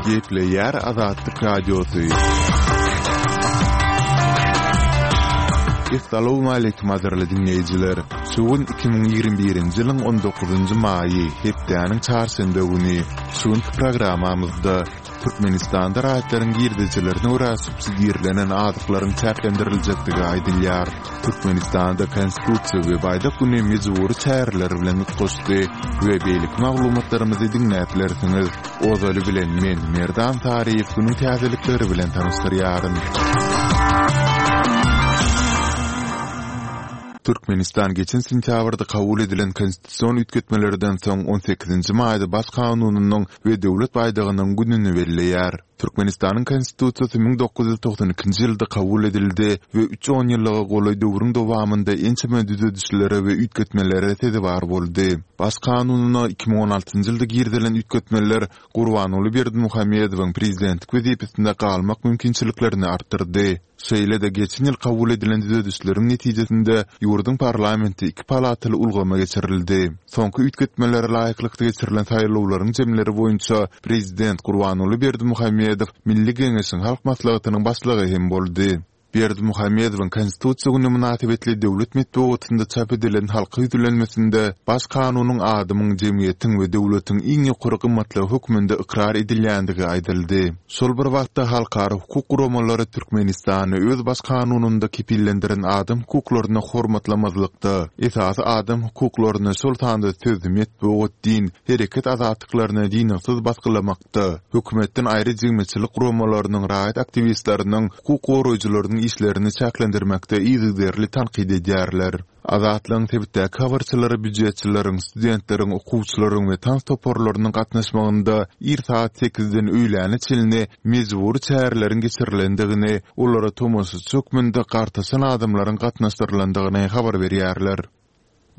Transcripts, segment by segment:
Gepleýär Azatlyk Radiosy. Essalawmaleýkim gadyrly diňleýjiler! Şu gün 2021-nji ýylyň 19-njy maýy, hepdäniň çarşenbe güni. Şu günki programmamyzda Türkmenistanda raýatlaryň girdejilerine görä subsidirlenen azyklaryň çäklendiriljekdigi aýdylýar. Türkmenistanda Konstitusiýa we Baýdak güni mejbury çäreler bilen utgaşdy we beýleki maglumatlarymyzy diňläp bilersiňiz. Ozaly bilen men, Merdan Saryýew günüň täzelikleri bilen tanyşdyrýaryn. Türkmenistan geçen sentýabrda kabul edilen konstitusion üýtgetmelerden soň on sekizinji maýda Baş kanunynyň we Döwlet baýdagynyň gününi belleýär. Türkmenistanyň Konstitusiýasy 1992-nji ýylda kabul edildi we üç onýyllyga golaý döwrüň dowamynda ençeme düzedişlere we üýtgetmelere sezewar boldy. Baş Kanunyna 2016-njy ýylda girizilen üýtgetmeler Gurbanguly Berdimuhamedowyň prezidentlik wezipesinde galmak mümkinçiliklerini artdyrdy. Şeýle-de, geçen ýyl kabul edilen düzedişleriň netijesinde ýurduň parlamenti iki palataly ulgama geçirildi. Soňky üýtgetmelere laýyklykda geçirilen saýlawlaryň jemleri boýunça prezident Gurbanguly Berdimuhamedow Milli Geňeşiň Halk Maslahatynyň başlygy hem boldy. Berdimuhamedowyň Konstitusiýa güni mynasybetli döwlet metbugatynda çap edilen halka ýüzlenmesinde Baş kanunyň adamyň, jemgyýetiň we döwletiň iň ýokary gymmatlygy hökmünde ykrar edilýändigi aýdyldy. Şol bir wagtda, halkara hukuk guramalary Türkmenistany öz Baş kanunynda kepillendiren adam hukuklaryny hormatlamazlykda, esasy adam hukuklaryny, şol sanda söz, metbugat, din, hereket azatlyklaryny dyngysyz basgylamakda, hökümetden aýry jemgyýetçilik guramalarynyň, raýat aktiwistleriniň, hukuk goraýjylarynyň işlerini çäklendirmekde yzygiderli tankyt edýärler. Azatlygyň sebitdäki habarçylary býujetçileriň, studentleriň, okuwçylaryň we tans toparlarynyň gatnaşmagynda ir sagat sekizden öýläne çenli mejbury çäreleriň geçirilendigini, olara tomaşaçy hökmünde gartaşan adamlaryň gatnaşdyrylandygyny habar berýärler.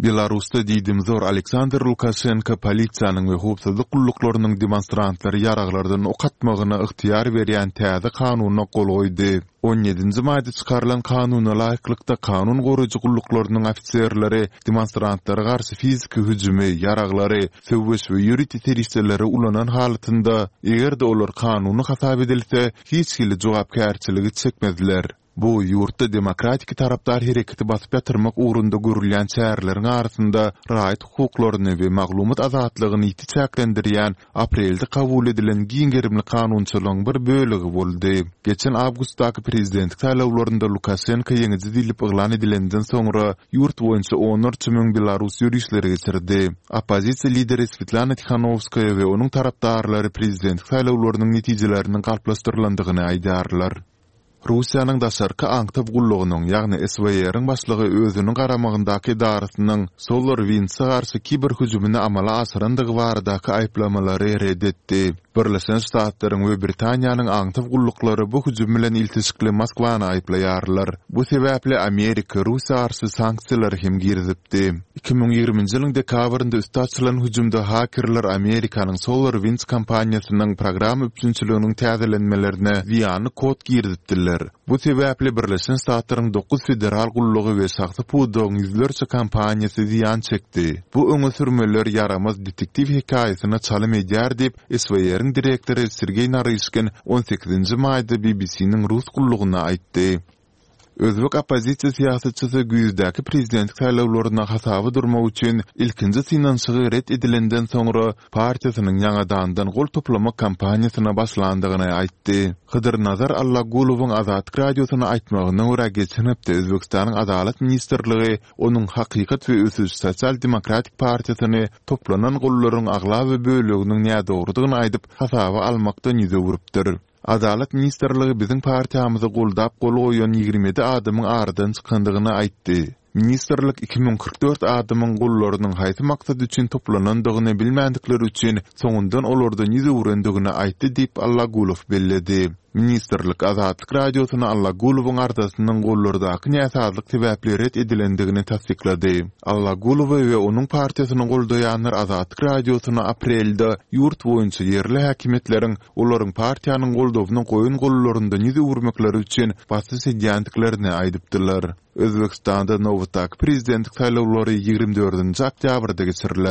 Belarusda diýdimzor Aleksandr Lukaşenko polisiýanyň we howpsuzlyk gulluklarynyň demonstrantlary ýaraglardan ok atmagyna ygtyýar berýän täze kanuna gol goýdy. On ýedinji maýda çykarylan kanuna laýyklykda, kanun goraýjy gulluklarynyň ofiserleri demonstrantlara garşy fiziki hüjümi, ýaraglary, söweş we ýörite serişdeleri ulanan halatynda, eger-de olar kanuny hasap edilse, hiç hili jogapkärçiligi çekmezler. Bu, ýurtda demokratiki tarapdar hereketi basyp ýatyrmak ugrunda görülýän çäreleriň arasynda raýat hukuklaryny we maglumat azatlygyny ýiti çäklendirýän aprelde kabul edilen giň gerimli kanunçylygyň bir bölegi boldy. Geçen awgustdaky prezidentlik saýlawlarynda Lukaşenko ýeňiji diýlip yglan edilenden soňra, ýurt boýunça onlarça müň belarus ýörişleri geçirdi. Oppozisiýa lideri Swetlana Tihanowskaýa we onuň tarapdarlary prezidentlik saýlawlarynyň netijeleriniň galplaşdyrylandygyny aýdýarlar. Russiýanyň daşarky aňtaw gullugynyň, ýagny SWR-iň başlygy özüniň garamagyndaky edarasynyň SolarWinds-e garşy kiber hüjümini amala aşyrandygy baradaky aýyplamalary ret etdi. Birleşen Ştatlaryň we Britaniýanyň aňtaw gulluklary bu hüjüm bilen ilteşikli Moskwany aýyplaýarlar. Bu sebäpli Amerika Russiýa garşy sanksiýalary hem girizipdi. 2020-nji ýylyň dekabrynda üsti açylan hüjümde hakerler Amerikanyň SolarWinds kompaniýasynyň programma üpjünçiliginiň täzelenmelerine zyýanly kod girizipdiler. Bu sebäpli Birleşen Ştatlaryň dokuz federal gullugy we şahsy pudagyň ýüzlerçe kompaniýasy zyýan çekdi. Bu öňe sürmeler ýaramaz detektiw hekaýasyna çalym edýär diýip, SWR-iň direktory Sergeý Naryşkin on sekizinji maýda BBC-niň rus gullugyna aýtdy. Özbek oppozisiýa syýasatçysy güýzdäki prezidentlik saýlawlarynda hasaba durmak üçin ilkinji synanyşygy ret edilenden soňra partiýasynyň ýaňadandan gol toplamak kampaniýasyna başlandygyny aýtdy. Hydyrnazar Allagulowyň Azatlyk Radiosyna aýtmagyna görä, geçen hepde Özbegistanyň Adalat ministrligi onuň Hakykat we ösüş sosial-demokratik partiýasyny toplanan gollaryň aglaba böleginiň nädogrudygyny aýdyp, hasaba almakdan ýüz öwrüpdir. Adalat ministrligi biziň partiýamyzy goldap gol goýan 27 adamyň aradan çykandygyny aýtdy. Ministrlik 2044 adamyň gollarynyň haýsy maksat üçin toplanandygyny bilmändikleri üçin soňundan olardan ýüz öwrendigini aýtdy diýip, Allagulow belledi. Ministrlik Azatlyk Radiosyna Allagulowyň arzasynyň gollardaky näsazlyk sebäpli ret edilendigini tassyklady. Allagulowy we onuň partiýasyny goldaýanlar Azatlyk Radiosyna aprelde ýurt boýunça ýerli häkimiýetleriň olaryň partiýanyň goldawyny goýun gollaryndan ýüz öwürmekleri üçin basyş edýändiklerini aýdypdylar. Özbegistanda nobatdaky prezidentlik saýlawlary ýigrimi dördünji oktýabrda geçiriler.